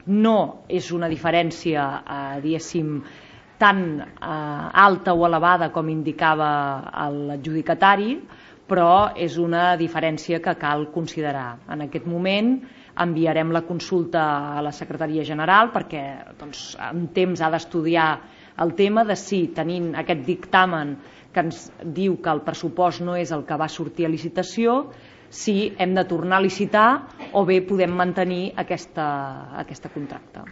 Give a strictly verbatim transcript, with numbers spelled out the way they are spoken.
No és una diferència, eh, diguéssim, tan eh, alta o elevada com indicava l'adjudicatari, però és una diferència que cal considerar. En aquest moment enviarem la consulta a la Secretaria General perquè doncs, en temps ha d'estudiar el tema de si, tenint aquest dictamen que ens diu que el pressupost no és el que va sortir a licitació, si hem de tornar a licitar o bé podem mantenir aquesta, aquesta contracte.